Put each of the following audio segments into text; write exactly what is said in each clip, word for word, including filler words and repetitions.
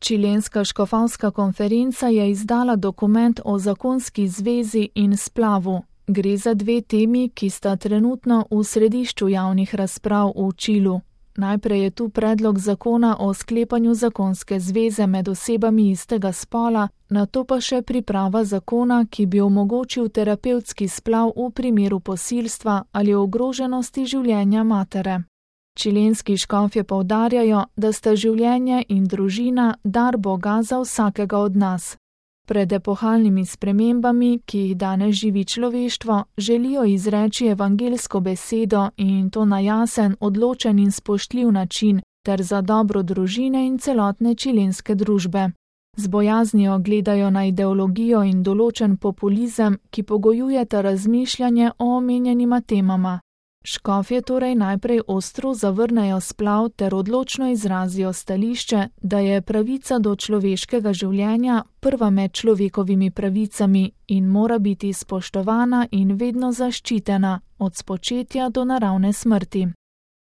Čilenska škofovska konferenca je izdala dokument o zakonski zvezi in splavu. Gre za dve temi, ki sta trenutno v središču javnih razprav v Čilu. Najprej je tu predlog zakona o sklepanju zakonske zveze med osebami istega spola, nato pa še priprava zakona, ki bi omogočil terapevtski splav v primeru posilstva ali ogroženosti življenja matere. Čilenski škofje poudarjajo, da sta življenje in družina dar Boga za vsakega od nas. Pred epohalnimi spremembami, ki jih danes živi človeštvo, želijo izreči evangeljsko besedo in to na jasen, odločen in spoštljiv način, ter za dobro družine in celotne čilenske družbe. Z bojaznijo gledajo na ideologijo in določen populizem, ki pogojujeta razmišljanje o omenjenima temama. Škofje torej najprej ostro zavrnejo splav ter odločno izrazijo stališče, da je pravica do človeškega življenja prva med človekovimi pravicami in mora biti spoštovana in vedno zaščitena, od spočetja do naravne smrti.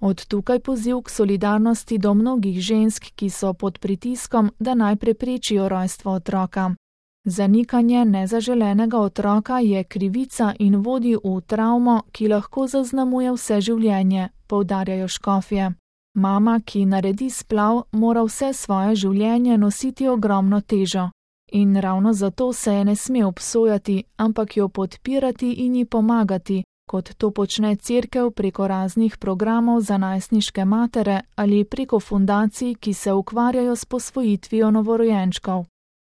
Od tukaj poziv k solidarnosti do mnogih žensk, ki so pod pritiskom, da naj preprečijo rojstvo otroka. Zanikanje nezaželenega otroka je krivica in vodi v travmo, ki lahko zaznamuje vse življenje, poudarjajo škofje. Mama, ki naredi splav, mora vse svoje življenje nositi ogromno težo. In ravno zato se je ne sme obsojati, ampak jo podpirati in ji pomagati, kot to počne cerkev preko raznih programov za najstniške matere ali preko fundacij, ki se ukvarjajo s posvojitvijo novorojenčkov.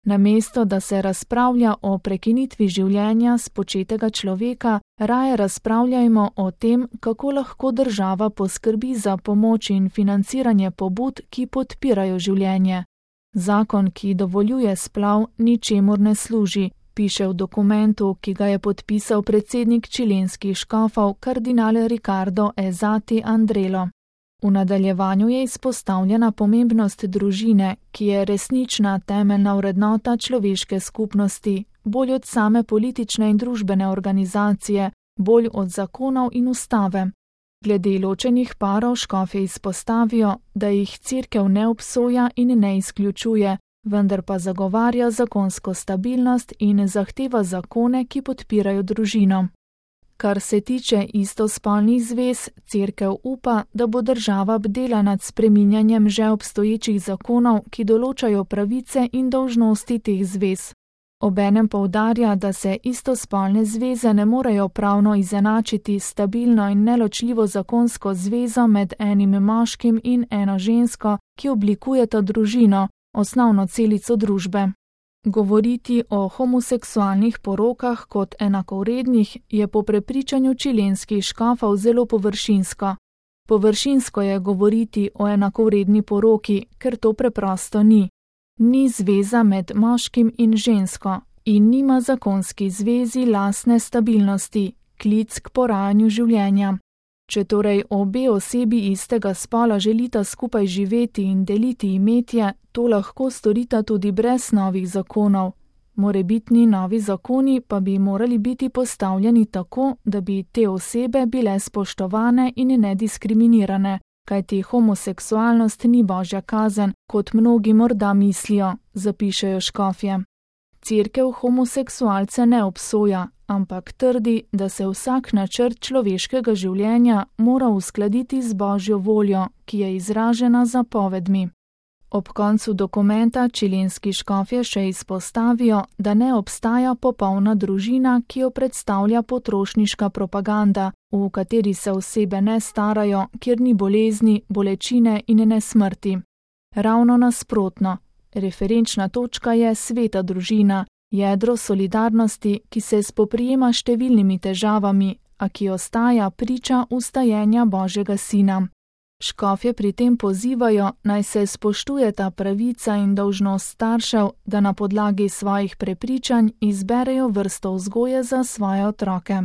Namesto, da se razpravlja o prekinitvi življenja spočetega človeka, raje razpravljajmo o tem, kako lahko država poskrbi za pomoč in financiranje pobud, ki podpirajo življenje. Zakon, ki dovoljuje splav, ničemur ne služi, piše v dokumentu, ki ga je podpisal predsednik čilenskih škofov kardinal Ricardo Ezzati Andrelo. V nadaljevanju je izpostavljena pomembnost družine, ki je resnična temeljna vrednota človeške skupnosti, bolj od same politične in družbene organizacije, bolj od zakonov in ustave. Glede ločenih parov škofje izpostavijo, da jih cerkev ne obsoja in ne izključuje, vendar pa zagovarja zakonsko stabilnost in zahteva zakone, ki podpirajo družino. Kar se tiče istospolnih zvez, cerkev upa, da bo država bdela nad spreminjanjem že obstoječih zakonov, ki določajo pravice in dolžnosti teh zvez. Obenem poudarja, da se istospolne zveze ne morejo pravno izenačiti s stabilno in neločljivo zakonsko zvezo med enim moškim in eno žensko, ki oblikujeta družino, osnovno celico družbe. Govoriti o homoseksualnih porokah kot enakovrednih je po prepričanju čilenskih škofov zelo površinsko. Površinsko je govoriti o enakovredni poroki, ker to preprosto ni. Ni zveza med moškim in žensko in nima zakonski zvezi lastne stabilnosti, klic k porajanju življenja. Če torej obe osebi istega spola želita skupaj živeti in deliti imetje, to lahko storita tudi brez novih zakonov. Morebitni novi zakoni pa bi morali biti postavljeni tako, da bi te osebe bile spoštovane in nediskriminirane, kajti homoseksualnost ni božja kazen, kot mnogi morda mislijo, zapišejo škofje. Cerkev homoseksualce ne obsoja, ampak trdi, da se vsak načrt človeškega življenja mora uskladiti z božjo voljo, ki je izražena z zapovedmi. Ob koncu dokumenta čilenski škofje še izpostavijo, da ne obstaja popolna družina, ki jo predstavlja potrošniška propaganda, v kateri se osebe ne starajo, kjer ni bolezni, bolečine in ne smrti. Ravno nasprotno, referenčna točka je sveta družina, jedro solidarnosti, ki se spoprijema s številnimi težavami, a ki ostaja priča ustajenja Božjega Sina. Škofje pri tem pozivajo, naj se spoštujeta pravica in dolžnost staršev, da na podlagi svojih prepričanj izberejo vrsto vzgoje za svoje otroke.